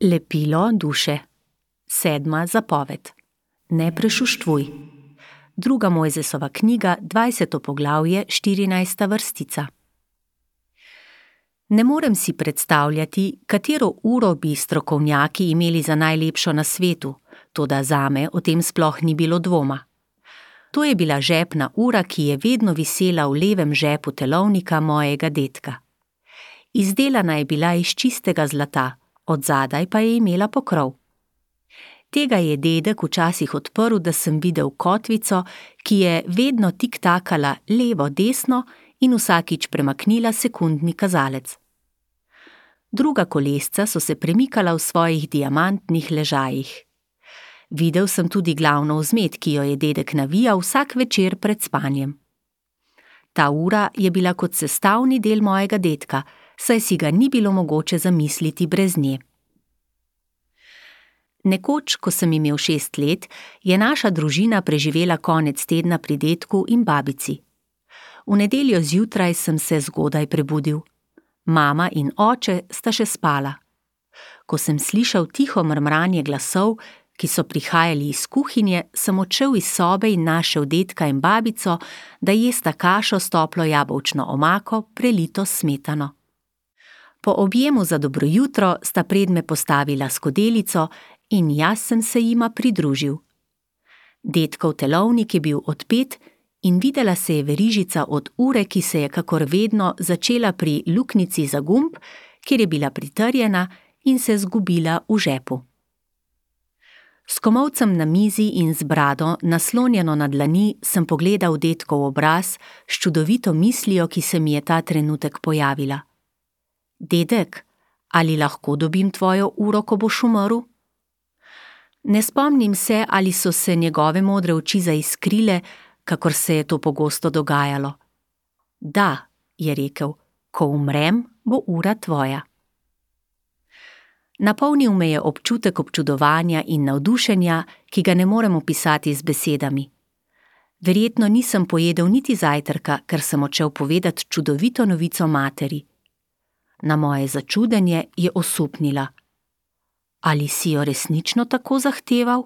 Lepilo duše. 7. zapoved. Ne prešuštvuj. 2. Mojzesova knjiga, 20. poglavje, 14. vrstica. Ne morem si predstavljati, katero uro bi strokovnjaki imeli za najlepšo na svetu, toda zame o tem sploh ni bilo dvoma. To je bila žepna ura, ki je vedno visela v levem žepu telovnika mojega dedka. Izdelana je bila iz čistega zlata, odzadaj pa je imela pokrov. Tega je dedek včasih odprl, da sem videl kotvico, ki je vedno tiktakala levo-desno in vsakič premaknila sekundni kazalec. Druga kolesca so se premikala v svojih diamantnih ležajih. Videl sem tudi glavno vzmet, ki jo je dedek navijal vsak večer pred spanjem. Ta ura je bila kot sestavni del mojega dedka, saj si ga ni bilo mogoče zamisliti brez nje. Nekoč, ko sem imel 6 let, je naša družina preživela konec tedna pri dedku in babici. V nedeljo zjutraj sem se zgodaj prebudil. Mama in oče sta še spala. Ko sem slišal tiho mrmranje glasov, ki so prihajali iz kuhinje, sem odšel iz sobe in našel dedka in babico, da jesta kašo s toplo jabolčno omako, prelito s smetano. Po objemu za dobro jutro sta pred me postavila skodelico in jaz sem se jima pridružil. Dedkov telovnik je bil odpet in videla se je verižica od ure, ki se je kakor vedno začela pri luknjici za gumb, kjer je bila pritrjena in se zgubila v žepu. S komolcem na mizi in z brado, naslonjeno na dlani, sem pogledal dedkov obraz s čudovito mislijo, ki se mi je ta trenutek pojavila. Dedek, ali lahko dobim tvojo uro, ko boš umrl? Ne spomnim se, ali so se njegove modre oči zaiskrile, kakor se je to pogosto dogajalo. Da, je rekel, ko umrem, bo ura tvoja. Napolnil me je občutek občudovanja in navdušenja, ki ga ne morem opisati z besedami. Verjetno nisem pojedel niti zajtrka, ker sem odšel povedati čudovito novico materi. Na moje začudenje je osupnila. Ali si jo resnično tako zahteval?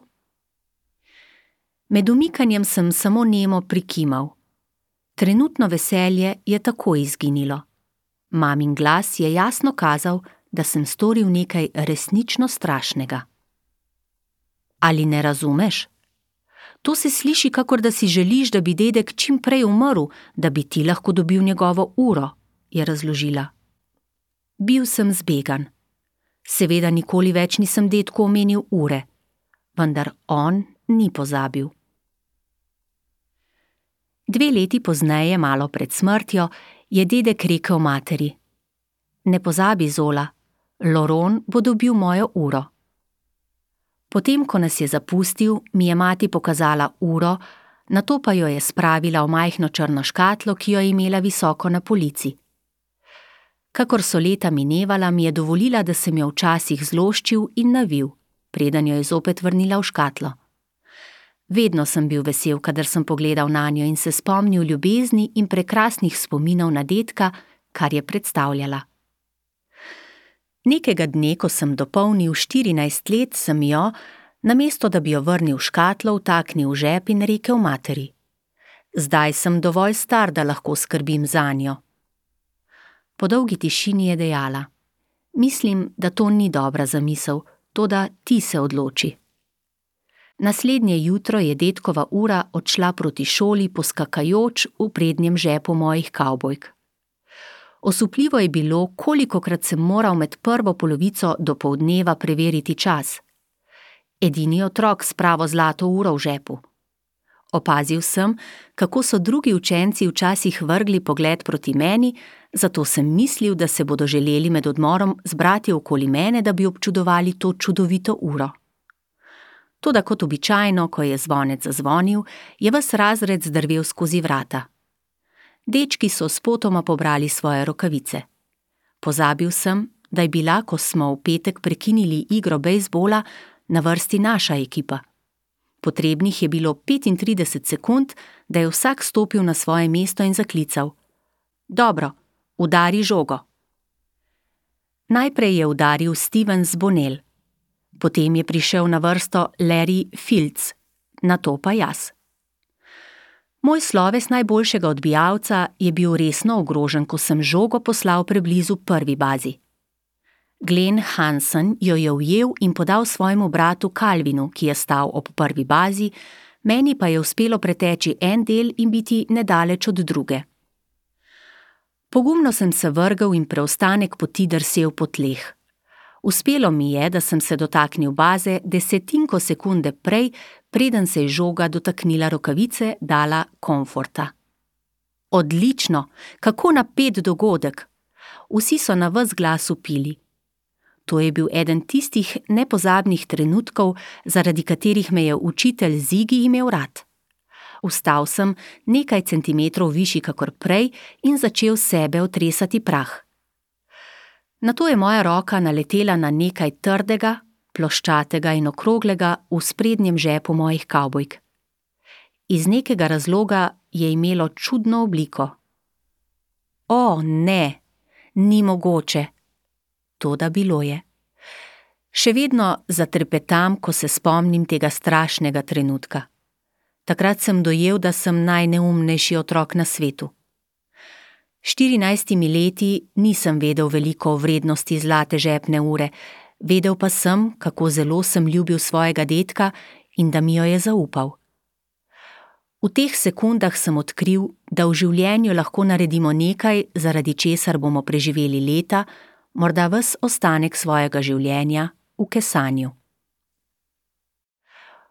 Med umikanjem sem samo nemo prikimal. Trenutno veselje je tako izginilo. Mamin glas je jasno kazal, da sem storil nekaj resnično strašnega. Ali ne razumeš? To se sliši, kakor da si želiš, da bi dedek čim prej umrl, da bi ti lahko dobil njegovo uro, je razložila. Bil sem zbegan. Seveda nikoli več nisem dedku omenil ure, vendar on ni pozabil. 2 leti pozneje, malo pred smrtjo, je dedek rekel materi: Ne pozabi, Zola, Loron bo dobil mojo uro. Potem, ko nas je zapustil, mi je mati pokazala uro, nato pa jo je spravila v majhno črno škatlo, ki jo je imela visoko na polici. Kakor so leta minevala, mi je dovolila, da sem jo včasih zloščil in navil, preden jo je zopet vrnila v škatlo. Vedno sem bil vesel, kadar sem pogledal nanjo in se spomnil ljubezni in prekrasnih spominov na dedka, kar je predstavljala. Nekega dne, ko sem dopolnil 14 let, sem jo, namesto da bi jo vrnil v škatlo, vtaknil v žep in rekel materi: Zdaj sem dovolj star, da lahko skrbim zanjo. Po dolgi tišini je dejala: Mislim, da to ni dobra zamisel, toda ti se odloči. Naslednje jutro je dedkova ura odšla proti šoli poskakajoč v prednjem žepu mojih kavbojk. Osupljivo je bilo, kolikokrat sem moral med prvo polovico dopoldneva preveriti čas. Edini otrok s pravo zlato uro v žepu. Opazil sem, kako so drugi učenci včasih vrgli pogled proti meni, zato sem mislil, da se bodo želeli med odmorom zbrati okoli mene, da bi občudovali to čudovito uro. Toda kot običajno, ko je zvonec zazvonil, je ves razred zdrvel skozi vrata. Dečki so spotoma pobrali svoje rokavice. Pozabil sem, da je bila, ko smo v petek prekinili igro bejzbola, na vrsti naša ekipa. Potrebnih je bilo 35 sekund, da je vsak stopil na svoje mesto in zaklical: Dobro, udari žogo. Najprej je udaril Steven Zbonel, Potem je prišel na vrsto Larry Fields, nato pa jaz. Moj sloves najboljšega odbijalca je bil resno ogrožen, ko sem žogo poslal preblizu prvi bazi. Glenn Hansen jo je ujel in podal svojemu bratu Calvinu, ki je stal ob prvi bazi, meni pa je uspelo preteči en del in biti nedaleč od druge. Pogumno sem se vrgel in preostanek poti drsel po tleh. Uspelo mi je, da sem se dotaknil baze desetinko sekunde prej, preden se je žoga dotaknila rokavice, dala komforta. Odlično, kako napet dogodek! Vsi so na ves glas vpili. To je bil eden tistih nepozabnih trenutkov, zaradi katerih me je učitelj Zigi imel rad. Vstal sem nekaj centimetrov višji kakor prej in začel sebe otresati prah. Nato je moja roka naletela na nekaj trdega, ploščatega in okroglega v sprednjem žepu mojih kavbojk. Iz nekega razloga je imelo čudno obliko. O, ne, ni mogoče. Toda bilo je. Še vedno zatrepetam, ko se spomnim tega strašnega trenutka. Takrat sem dojel, da sem najneumnejši otrok na svetu. 14 leti nisem vedel veliko o vrednosti zlate žepne ure, vedel pa sem, kako zelo sem ljubil svojega dedka in da mi jo je zaupal. V teh sekundah sem odkril, da v življenju lahko naredimo nekaj, zaradi česar bomo preživeli leta, morda ves ostanek svojega življenja v kesanju.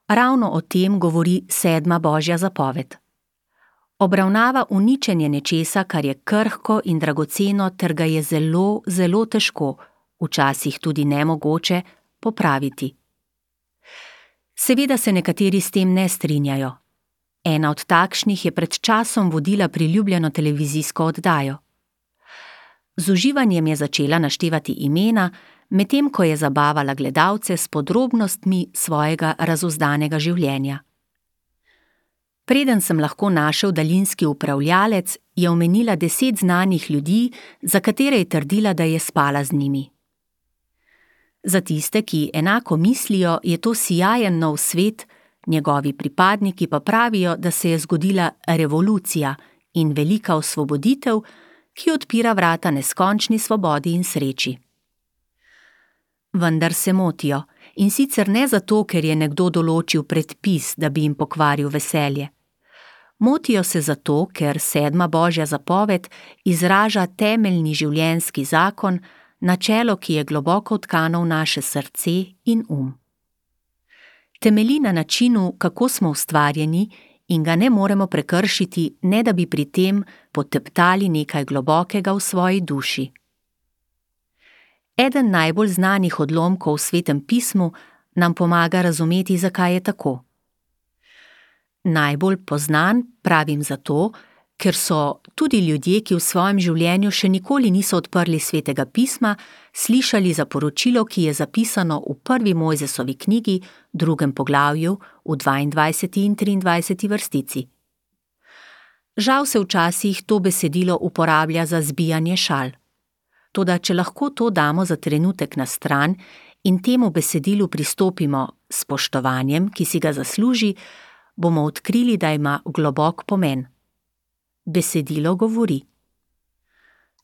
Ravno o tem govori 7. Božja zapoved. Obravnava uničenje nečesa, kar je krhko in dragoceno, ter ga je zelo, zelo težko, včasih tudi nemogoče, popraviti. Seveda se nekateri s tem ne strinjajo. Ena od takšnih je pred časom vodila priljubljeno televizijsko oddajo. Z uživanjem je začela naštevati imena, medtem ko je zabavala gledalce s podrobnostmi svojega razuzdanega življenja. Preden sem lahko našel daljinski upravljalec, je omenila 10 znanih ljudi, za katere je trdila, da je spala z njimi. Za tiste, ki enako mislijo, je to sijajen nov svet, njegovi pripadniki pa pravijo, da se je zgodila revolucija in velika osvoboditev, ki odpira vrata neskončni svobodi in sreči. Vendar se motijo, in sicer ne zato, ker je nekdo določil predpis, da bi jim pokvaril veselje. Motijo se zato, ker 7. Božja zapoved izraža temeljni življenjski zakon, načelo, ki je globoko vtkano v naše srce in Temelji na načinu, kako smo ustvarjeni, in ga ne moremo prekršiti, ne da bi pri tem poteptali nekaj globokega v svoji duši. Eden najbolj znanih odlomkov v Svetem pismu nam pomaga razumeti, zakaj je tako. Najbolj poznan pravim zato, ker so tudi ljudje, ki v svojem življenju še nikoli niso odprli Svetega pisma, slišali za poročilo, ki je zapisano v 1. Mojzesovi knjigi, 2. poglavju, v 22. in 23. vrstici. Žal se včasih to besedilo uporablja za zbijanje šal. Toda če lahko to damo za trenutek na stran in temu besedilu pristopimo s spoštovanjem, ki si ga zasluži, bomo odkrili, da ima globok pomen. Besedilo govori: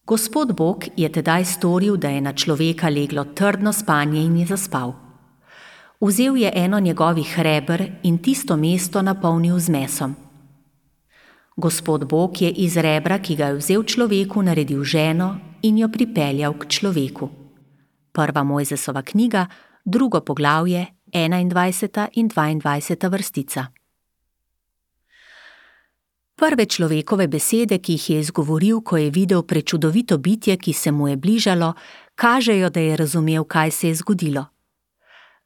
Gospod Bog je tedaj storil, da je na človeka leglo trdno spanje in je zaspal. Vzel je eno njegovih reber in tisto mesto napolnil z mesom. Gospod Bog je iz rebra, ki ga je vzel človeku, naredil ženo in jo pripeljal k človeku. 1. Mojzesova knjiga, 2. poglavje, 21. in 22. vrstica. Prve človekove besede, ki jih je izgovoril, ko je videl prečudovito bitje, ki se mu je bližalo, kažejo, da je razumel, kaj se je zgodilo.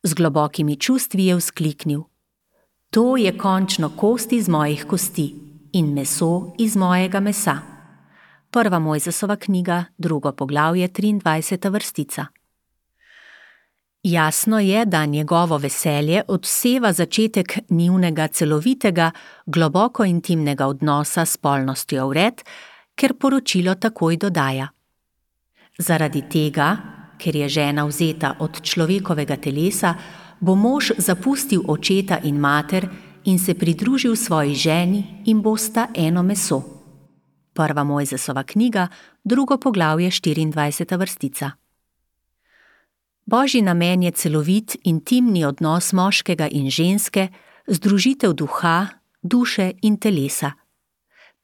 Z globokimi čustvi je vzkliknil: To je končno kost iz mojih kosti in meso iz mojega mesa. 1. Mojzesova knjiga, 2. poglavje, 23. vrstica. Jasno je, da njegovo veselje odseva začetek njunega celovitega, globoko intimnega odnosa s spolnostjo vred, ker poročilo takoj dodaja: Zaradi tega, ker je žena vzeta od človekovega telesa, bo mož zapustil očeta in mater in se pridružil svoji ženi in bosta eno meso. 1. Mojzesova knjiga, 2. poglavje, 24. vrstica. Božji namen je celovit, intimni odnos moškega in ženske, združitev duha, duše in telesa.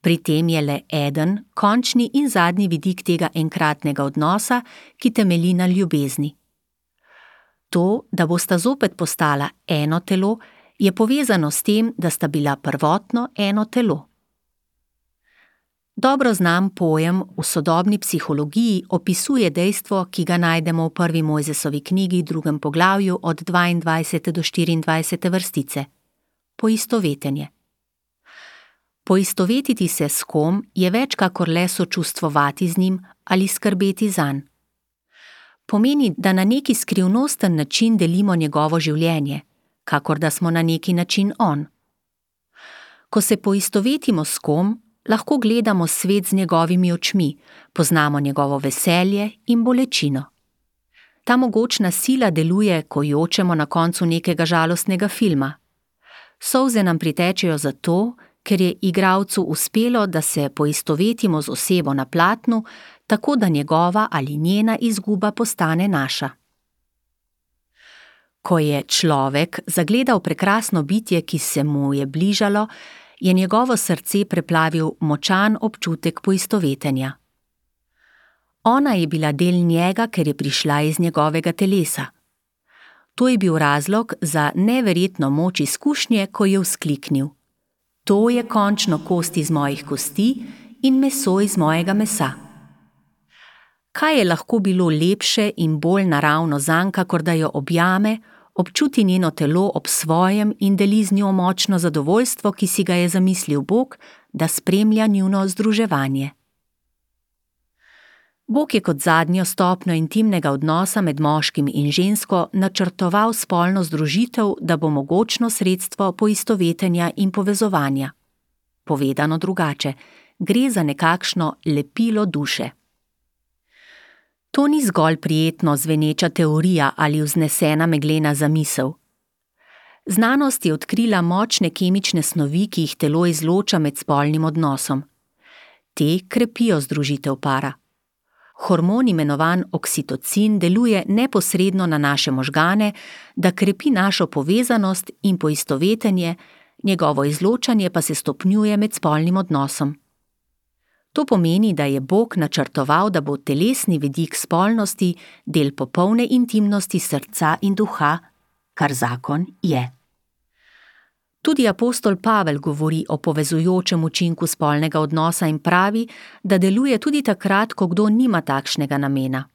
Pri tem je le eden, končni in zadnji vidik tega enkratnega odnosa, ki temelji na ljubezni. To, da bosta zopet postala eno telo, je povezano s tem, da sta bila prvotno eno telo. Dobro znan pojem v sodobni psihologiji opisuje dejstvo, ki ga najdemo v 1. Mojzesovi knjigi, 2. poglavju od 22. do 24. vrstice. Poistovetenje. Poistovetiti se s kom je več kakor le sočustvovati z njim ali skrbeti zanj. Pomeni, da na neki skrivnosten način delimo njegovo življenje, kakor da smo na neki način on. Ko se poistovetimo s kom, lahko gledamo svet z njegovimi očmi, poznamo njegovo veselje in bolečino. Ta mogočna sila deluje, ko jočemo na koncu nekega žalostnega filma. Solze nam pritečejo zato, ker je igralcu uspelo, da se poistovetimo z osebo na platnu, tako da njegova ali njena izguba postane naša. Ko je človek zagledal prekrasno bitje, ki se mu je bližalo, je njegovo srce preplavil močan občutek poistovetenja. Ona je bila del njega, ker je prišla iz njegovega telesa. To je bil razlog za neverjetno moč izkušnje, ko je vzkliknil: To je končno kost iz mojih kosti in meso iz mojega mesa. Kaj je lahko bilo lepše in bolj naravno zanj, kakor da jo objame, občuti njeno telo ob svojem in deli z njo močno zadovoljstvo, ki si ga je zamislil Bog, da spremlja njuno združevanje. Bog je kot zadnjo stopnjo intimnega odnosa med moškim in žensko načrtoval spolno združitev, da bo mogočno sredstvo poistovetenja in povezovanja. Povedano drugače, gre za nekakšno lepilo duše. To ni zgolj prijetno zveneča teorija ali vznesena meglena zamisel. Znanost je odkrila močne kemične snovi, ki jih telo izloča med spolnim odnosom. Te krepijo združitev para. Hormon imenovan oksitocin deluje neposredno na naše možgane, da krepi našo povezanost in poistovetenje, njegovo izločanje pa se stopnjuje med spolnim odnosom. To pomeni, da je Bog načrtoval, da bo telesni vidik spolnosti del popolne intimnosti srca in duha, kar zakon je. Tudi apostol Pavel govori o povezujočem učinku spolnega odnosa in pravi, da deluje tudi takrat, ko kdo nima takšnega namena.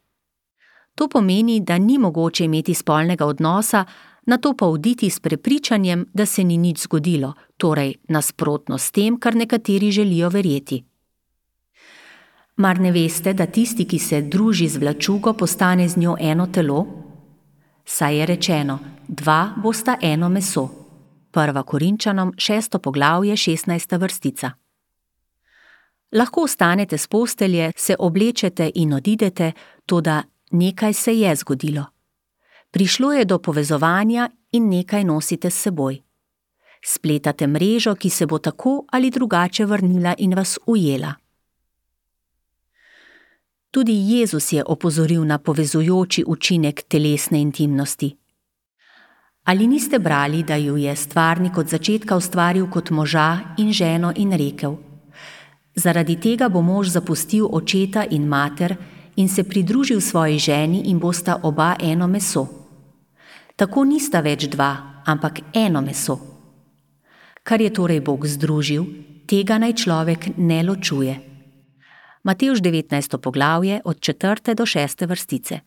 To pomeni, da ni mogoče imeti spolnega odnosa, nato pa oditi s prepričanjem, da se ni nič zgodilo, torej nasprotno s tem, kar nekateri želijo verjeti. Mar ne veste, da tisti, ki se druži z vlačugo, postane z njo eno telo? Saj je rečeno, 2 bosta eno meso. 1. Korinčanom, 6. poglavje, 16. vrstica. Lahko vstanete s postelje, se oblečete in odidete, toda nekaj se je zgodilo. Prišlo je do povezovanja in nekaj nosite s seboj. Spletate mrežo, ki se bo tako ali drugače vrnila in vas ujela. Tudi Jezus je opozoril na povezujoči učinek telesne intimnosti. Ali niste brali, da ju je stvarnik od začetka ustvaril kot moža in ženo in rekel: Zaradi tega bo mož zapustil očeta in mater in se pridružil svoji ženi in bosta oba eno meso. Tako nista več 2, ampak eno meso. Kar je torej Bog združil, tega naj človek ne ločuje. Matevž 19. poglavje od 4. do 6. vrstice.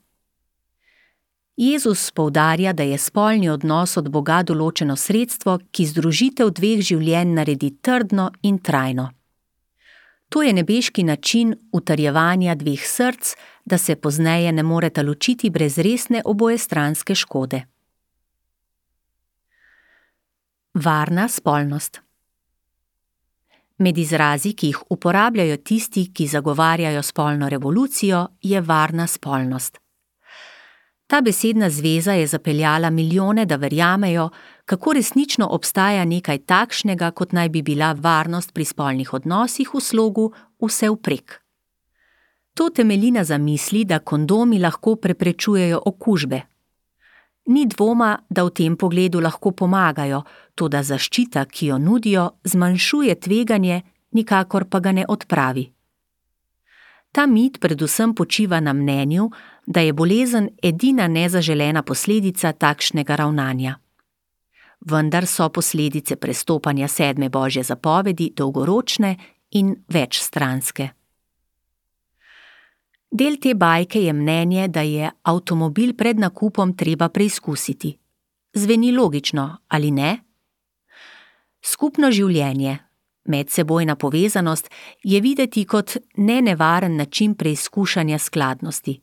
Jezus poudarja, da je spolni odnos od Boga določeno sredstvo, ki združitev 2 življenj naredi trdno in trajno. To je nebeški način utrjevanja 2 src, da se pozneje ne moreta ločiti brez resne obojestranske škode. Varna spolnost. Med izrazi, ki jih uporabljajo tisti, ki zagovarjajo spolno revolucijo, je varna spolnost. Ta besedna zveza je zapeljala milijone, da verjamejo, kako resnično obstaja nekaj takšnega, kot naj bi bila varnost pri spolnih odnosih v slogu vse vprek. To temelji na zamisli, da kondomi lahko preprečujejo okužbe. Ni dvoma, da v tem pogledu lahko pomagajo, toda zaščita, ki jo nudijo, zmanjšuje tveganje, nikakor pa ga ne odpravi. Ta mit predvsem počiva na mnenju, da je bolezen edina nezaželena posledica takšnega ravnanja. Vendar so posledice prestopanja 7. Božje zapovedi dolgoročne in večstranske. Del te bajke je mnenje, da je avtomobil pred nakupom treba preizkusiti. Zveni logično, ali ne? Skupno življenje, medsebojna povezanost, je videti kot nenevaren način preizkušanja skladnosti.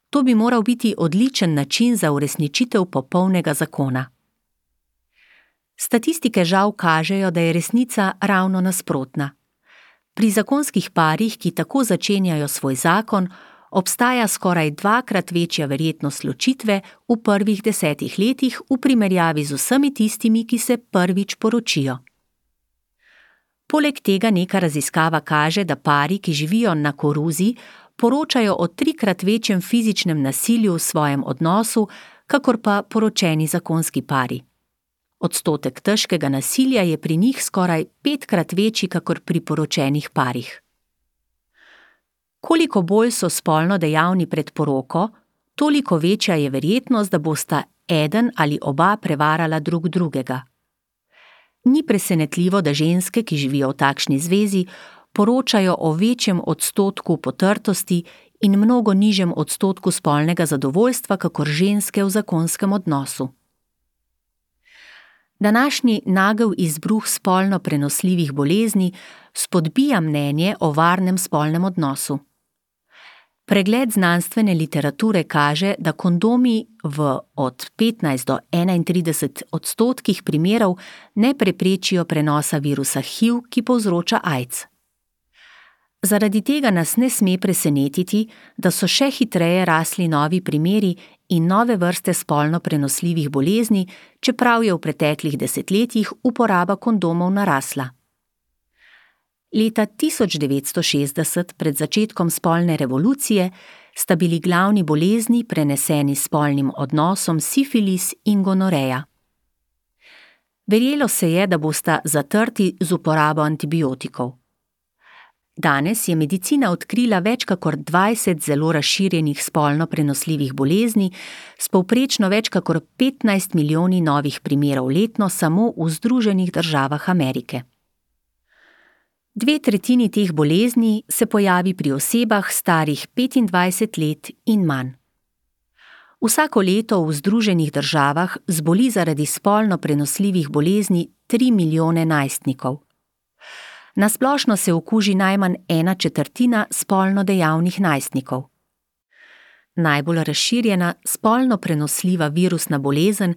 To bi moral biti odličen način za uresničitev popolnega zakona. Statistike žal kažejo, da je resnica ravno nasprotna. Pri zakonskih parih, ki tako začenjajo svoj zakon, obstaja skoraj 2-krat večja verjetnost ločitve v prvih 10 letih v primerjavi z vsemi tistimi, ki se prvič poročijo. Poleg tega neka raziskava kaže, da pari, ki živijo na koruzi, poročajo o 3-krat večjem fizičnem nasilju v svojem odnosu, kakor pa poročeni zakonski pari. Odstotek težkega nasilja je pri njih skoraj 5-krat večji, kakor pri poročenih parih. Koliko bolj so spolno dejavni pred poroko, toliko večja je verjetnost, da bosta eden ali oba prevarala drug drugega. Ni presenetljivo, da ženske, ki živijo v takšni zvezi, poročajo o večjem odstotku potrtosti in mnogo nižjem odstotku spolnega zadovoljstva, kakor ženske v zakonskem odnosu. Današnji nagel izbruh spolno prenosljivih bolezni spodbija mnenje o varnem spolnem odnosu. Pregled znanstvene literature kaže, da kondomi v od 15 do 31% primerov ne preprečijo prenosa virusa HIV, ki povzroča AIDS. Zaradi tega nas ne sme presenetiti, da so še hitreje rasli novi primeri in nove vrste spolno prenosljivih bolezni, čeprav je v preteklih desetletjih uporaba kondomov narasla. Leta 1960, pred začetkom spolne revolucije, sta bili glavni bolezni preneseni s spolnim odnosom sifilis in gonoreja. Verjelo se je, da bosta zatrti z uporabo antibiotikov. Danes je medicina odkrila več kakor 20 zelo razširjenih spolno prenosljivih bolezni s povprečno več kakor 15 milijoni novih primerov letno samo v Združenih državah Amerike. 2/3 teh bolezni se pojavi pri osebah starih 25 let in manj. Vsako leto v Združenih državah zboli zaradi spolno prenosljivih bolezni 3 milijone najstnikov. Na splošno se okuži najmanj 1/4 spolno dejavnih najstnikov. Najbolj razširjena spolno prenosljiva virusna bolezen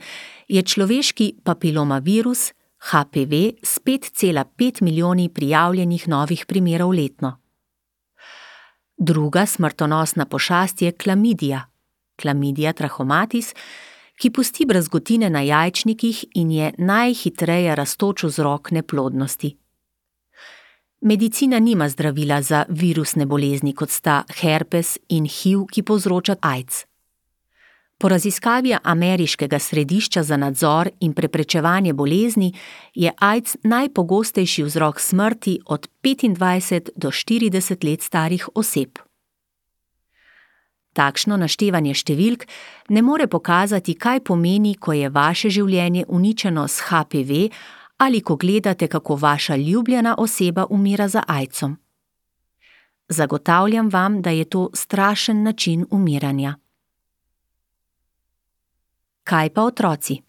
je človeški papilomavirus HPV s 5,5 milijoni prijavljenih novih primerov letno. Druga smrtonosna pošast je klamidija, Chlamydia trachomatis, ki pusti brazgotine na jajčnikih in je najhitreje rastoč vzrok neplodnosti. Medicina nima zdravila za virusne bolezni, kot sta herpes in HIV, ki povzroča AIDS. Po raziskavi Ameriškega središča za nadzor in preprečevanje bolezni je AIDS najpogostejši vzrok smrti od 25 do 40 let starih oseb. Takšno naštevanje številk ne more pokazati, kaj pomeni, ko je vaše življenje uničeno s HPV ali ko gledate, kako vaša ljubljena oseba umira za AIDS-om. Zagotavljam vam, da je to strašen način umiranja. Kaj pa otroci?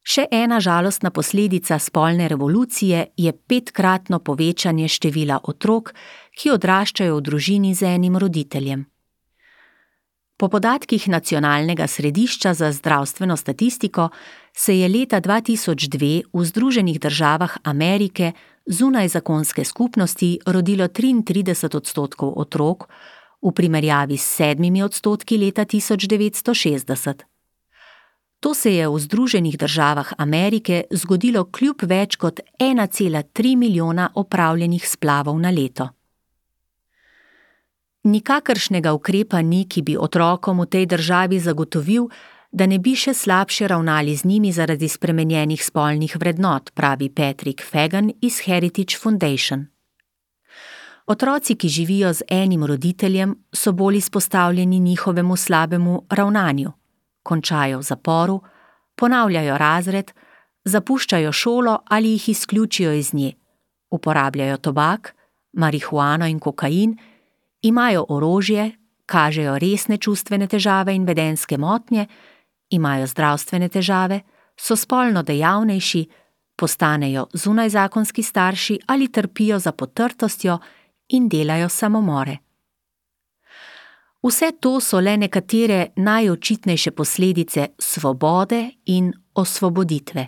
Še ena žalostna posledica spolne revolucije je 5-kratno povečanje števila otrok, ki odraščajo v družini z enim roditeljem. Po podatkih Nacionalnega središča za zdravstveno statistiko se je leta 2002 v Združenih državah Amerike zunaj zakonske skupnosti rodilo 33% otrok, v primerjavi s 7% leta 1960. To se je v Združenih državah Amerike zgodilo kljub več kot 1,3 milijona opravljenih splavov na leto. Nikakršnega ukrepa ni, ki bi otrokom v tej državi zagotovil, da ne bi še slabše ravnali z njimi zaradi spremenjenih spolnih vrednot, pravi Patrick Fagan iz Heritage Foundation. Otroci, ki živijo z enim roditeljem, so bolj izpostavljeni njihovemu slabemu ravnanju. Končajo v zaporu, ponavljajo razred, zapuščajo šolo ali jih izključijo iz nje, uporabljajo tobak, marihuano in kokain, imajo orožje, kažejo resne čustvene težave in vedenjske motnje, imajo zdravstvene težave, so spolno dejavnejši, postanejo zunajzakonski starši ali trpijo za potrtostjo in delajo samomore. Vse to so le nekatere najočitnejše posledice svobode in osvoboditve.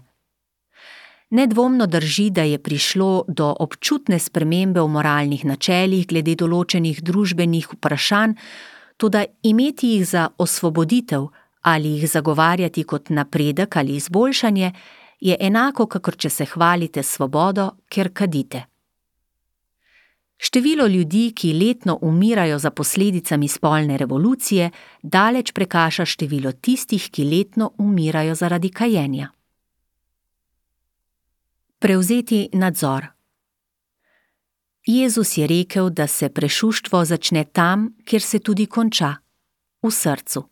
Nedvomno drži, da je prišlo do občutne spremembe v moralnih načelih glede določenih družbenih vprašanj, toda imeti jih za osvoboditev ali jih zagovarjati kot napredek ali izboljšanje je enako, kakor če se hvalite svobodo, ker kadite. Število ljudi, ki letno umirajo za posledicami spolne revolucije, daleč prekaša število tistih, ki letno umirajo zaradi kajenja. Prevzeti nadzor. Jezus je rekel, da se prešuštvo začne tam, kjer se tudi konča, v srcu.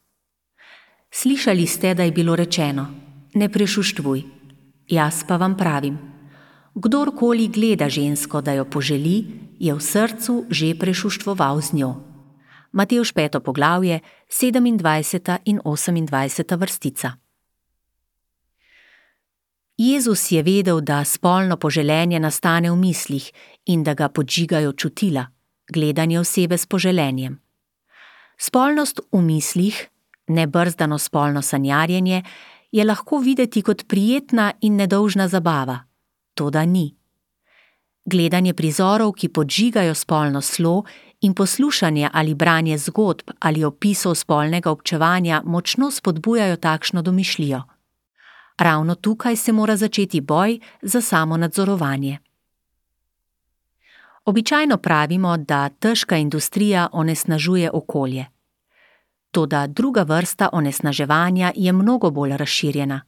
Slišali ste, da je bilo rečeno: ne prešuštvuj. Jaz pa vam pravim: kdorkoli gleda žensko, da jo poželi, je v srcu že prešuštvoval z njo. Matevž 5. poglavje, 27. in 28. vrstica. Jezus je vedel, da spolno poželenje nastane v mislih in da ga podžigajo čutila, gledanje osebe s poželenjem. Spolnost v mislih, nebrzdano spolno sanjarjenje, je lahko videti kot prijetna in nedolžna zabava. Toda ni. Gledanje prizorov, ki podžigajo spolno slo, in poslušanje ali branje zgodb ali opisov spolnega občevanja močno spodbujajo takšno domišljijo. Ravno tukaj se mora začeti boj za samonadzorovanje. Običajno pravimo, da težka industrija onesnažuje okolje. Toda druga vrsta onesnaževanja je mnogo bolj razširjena.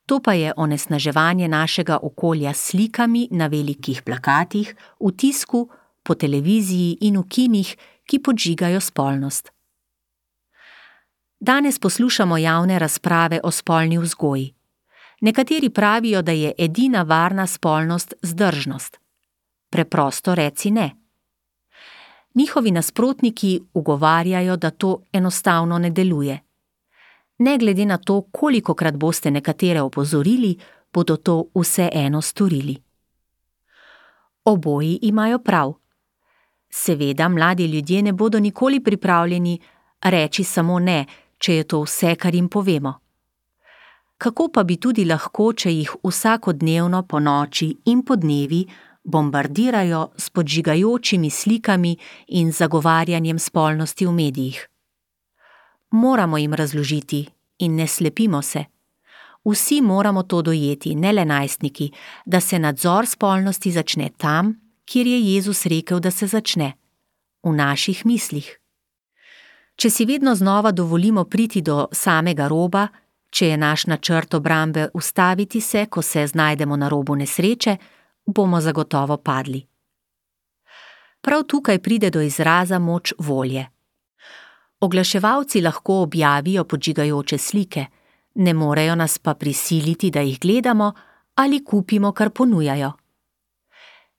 To pa je onesnaževanje našega okolja s slikami na velikih plakatih, v tisku, po televiziji in v kinih, ki podžigajo spolnost. Danes poslušamo javne razprave o spolni vzgoji. Nekateri pravijo, da je edina varna spolnost zdržnost. Preprosto reci ne. Njihovi nasprotniki ugovarjajo, da to enostavno ne deluje. Ne glede na to, kolikokrat boste nekatere opozorili, bodo to vseeno storili. Oboji imajo prav. Seveda, mladi ljudje ne bodo nikoli pripravljeni reči samo ne, če je to vse, kar jim povemo. Kako pa bi tudi lahko, če jih vsakodnevno po noči in po dnevi bombardirajo s podžigajočimi slikami in zagovarjanjem spolnosti v medijih? Moramo jim razložiti in ne slepimo se. Vsi moramo to dojeti, ne le najstniki, da se nadzor spolnosti začne tam, kjer je Jezus rekel, da se začne. V naših mislih. Če si vedno znova dovolimo priti do samega roba, če je naš načrt obrambe ustaviti se, ko se znajdemo na robu nesreče, bomo zagotovo padli. Prav tukaj pride do izraza moč volje. Oglaševalci lahko objavijo podžigajoče slike, ne morejo nas pa prisiliti, da jih gledamo ali kupimo, kar ponujajo.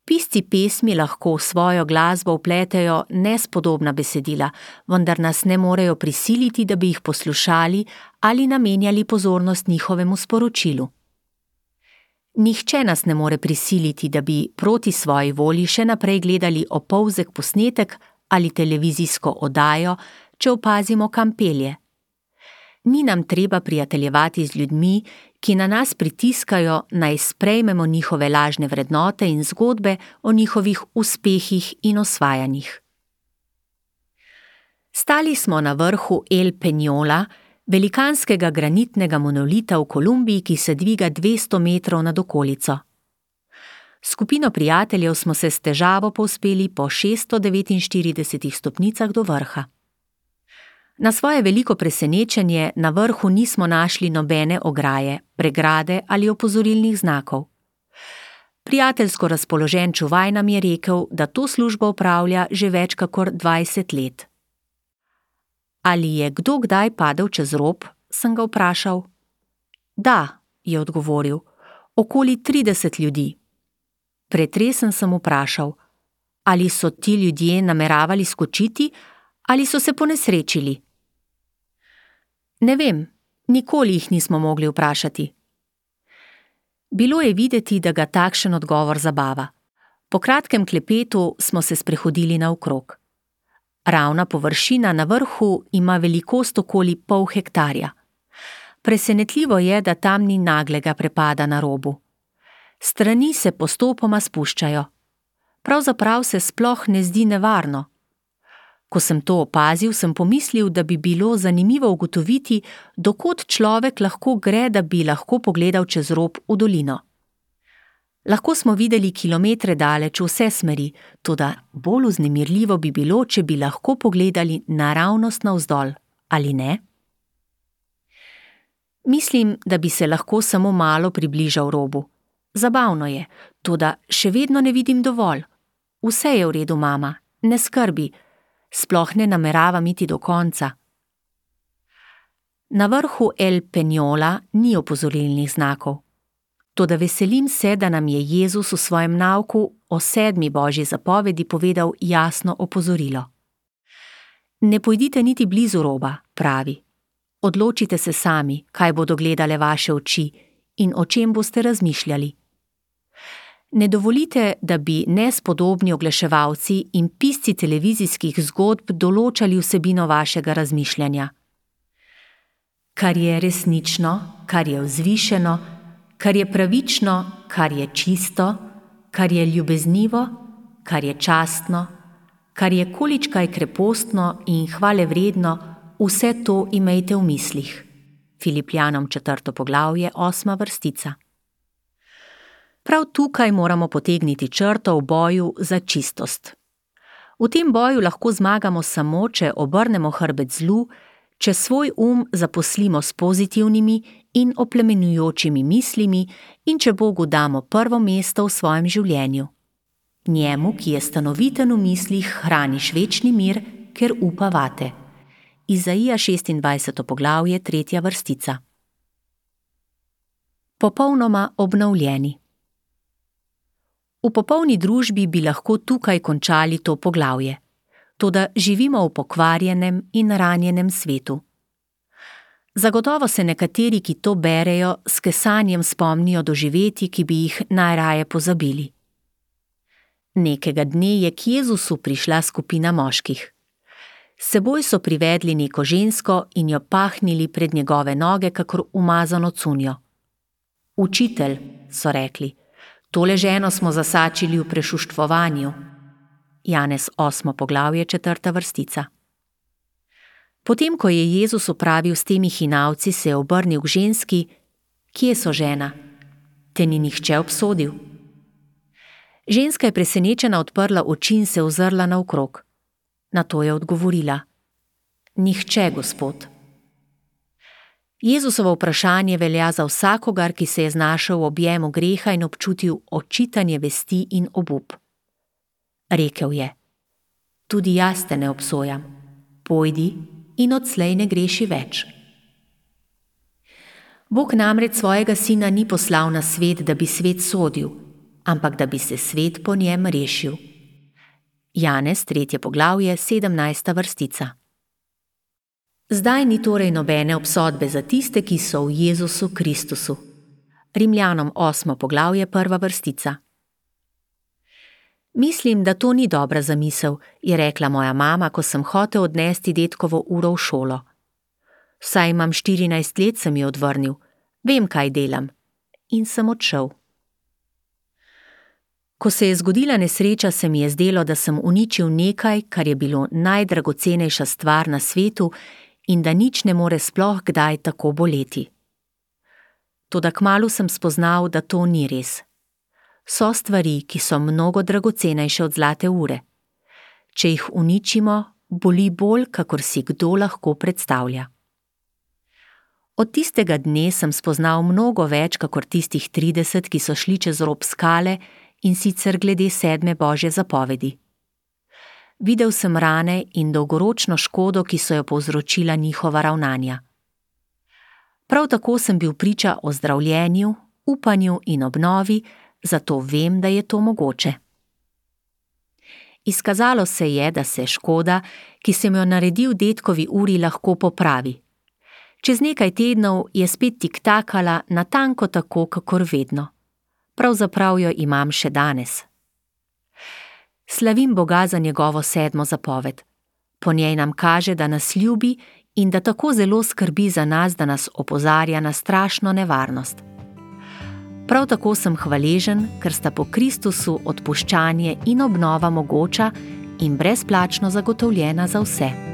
Pisci pesmi lahko v svojo glasbo vpletejo nespodobna besedila, vendar nas ne morejo prisiliti, da bi jih poslušali ali namenjali pozornost njihovemu sporočilu. Nihče nas ne more prisiliti, da bi proti svoji volji še naprej gledali opolzek posnetek ali televizijsko oddajo, če opazimo, kam pelje. Ni nam treba prijateljevati z ljudmi, ki na nas pritiskajo, naj sprejmemo njihove lažne vrednote in zgodbe o njihovih uspehih in osvajanjih. Stali smo na vrhu El Peñola, velikanskega granitnega monolita v Kolumbiji, ki se dviga 200 metrov nad okolico. Skupino prijateljev smo se s težavo povzpeli po 649 stopnicah do vrha. Na svoje veliko presenečenje na vrhu nismo našli nobene ograje, pregrade ali opozorilnih znakov. Prijateljsko razpoložen čuvaj nam je rekel, da to službo opravlja že več kakor 20 let. Ali je kdo kdaj padel čez rob, sem ga vprašal. Da, je odgovoril, okoli 30 ljudi. Pretresen sem vprašal, ali so ti ljudje nameravali skočiti ali so se ponesrečili. Ne vem, nikoli jih nismo mogli vprašati. Bilo je videti, da ga takšen odgovor zabava. Po kratkem klepetu smo se sprehodili naokrog. Ravna površina na vrhu ima velikost okoli pol hektarja. Presenetljivo je, da tam ni naglega prepada na robu. Strani se postopoma spuščajo. Pravzaprav se sploh ne zdi nevarno. Ko sem to opazil, sem pomislil, da bi bilo zanimivo ugotoviti, do kod človek lahko gre, da bi lahko pogledal čez rob v dolino. Lahko smo videli kilometre daleč v vse smeri, toda bolj vznemirljivo bi bilo, če bi lahko pogledali naravnost navzdol, ali ne? Mislim, da bi se lahko samo malo približal robu. Zabavno je, toda še vedno ne vidim dovolj. Vse je v redu, mama, ne skrbi, sploh ne nameravam iti do konca. Na vrhu El Peñola ni opozorilnih znakov. Toda veselim se, da nam je Jezus v svojem nauku o 7. božji zapovedi povedal jasno opozorilo. Ne pojdite niti blizu roba, pravi. Odločite se sami, kaj bodo gledale vaše oči in o čem boste razmišljali. Ne dovolite, da bi nespodobni oglaševalci in pisci televizijskih zgodb določali vsebino vašega razmišljanja. Kar je resnično, kar je vzvišeno, kar je pravično, kar je čisto, kar je ljubeznivo, kar je častno, kar je količkaj krepostno in hvalevredno, vse to imejte v mislih. Filipljanom 4. poglavje, 8. vrstica. Prav tukaj moramo potegniti črto v boju za čistost. V tem boju lahko zmagamo samo, če obrnemo hrbet zlu, če svoj zaposlimo s pozitivnimi in oplemenjujočimi mislimi in če Bogu damo prvo mesto v svojem življenju. Njemu, ki je stanoviten v mislih, hraniš večni mir, ker upa vate. Izaija 26. poglavje, 3. vrstica. Popolnoma obnovljeni. V popolni družbi bi lahko tukaj končali to poglavje, toda živimo v pokvarjenem in ranjenem svetu. Zagotovo se nekateri, ki to berejo, s kesanjem spomnijo doživetij, ki bi jih najraje pozabili. Nekega dne je k Jezusu prišla skupina moških. S seboj so privedli neko žensko in jo pahnili pred njegove noge, kakor umazano cunjo. Učitelj, so rekli, tole ženo smo zasačili v prešuštvovanju. Janez 8. poglavje, 4. vrstica. Potem, ko je Jezus opravil s temi hinavci, se je obrnil k ženski: Kje so, žena? Te ni nihče obsodil? Ženska je presenečena odprla oči in se ozrla naokrog. Nato je odgovorila: Nihče, Gospod. Jezusovo vprašanje velja za vsakogar, ki se je znašel v objemu greha in občutil očitanje vesti in obup. Rekel je: Tudi jaz te ne obsojam. Pojdi in odslej ne greši več. Bog namreč svojega sina ni poslal na svet, da bi svet sodil, ampak da bi se svet po njem rešil. Janez 3. poglavje, 17. vrstica. Zdaj ni torej nobene obsodbe za tiste, ki so v Jezusu Kristusu. Rimljanom 8. poglavje, 1. vrstica. Mislim, da to ni dobra zamisel, je rekla moja mama, ko sem hotel odnesti dedkovo uro v šolo. Saj imam 14 let, sem ji odvrnil. Vem, kaj delam. In sem odšel. Ko se je zgodila nesreča, se mi je zdelo, da sem uničil nekaj, kar je bilo najdragocenejša stvar na svetu in da nič ne more sploh kdaj tako boleti. Toda kmalu sem spoznal, da to ni res. So stvari, ki so mnogo dragocenejše od zlate ure. Če jih uničimo, boli bolj, kakor si kdo lahko predstavlja. Od tistega dne sem spoznal mnogo več, kakor tistih 30, ki so šli čez rob skale, in sicer glede 7. Božje zapovedi. Videl sem rane in dolgoročno škodo, ki so jo povzročila njihova ravnanja. Prav tako sem bil priča o zdravljenju, upanju in obnovi, zato vem, da je to mogoče. Izkazalo se je, da se škoda, ki sem jo naredil dedkovi uri, lahko popravi. Čez nekaj tednov je spet tiktakala natanko tako, kakor vedno. Pravzaprav jo imam še danes. Slavim Boga za njegovo 7. zapoved. Po njej nam kaže, da nas ljubi in da tako zelo skrbi za nas, da nas opozarja na strašno nevarnost. Prav tako sem hvaležen, ker sta po Kristusu odpuščanje in obnova mogoča in brezplačno zagotovljena za vse.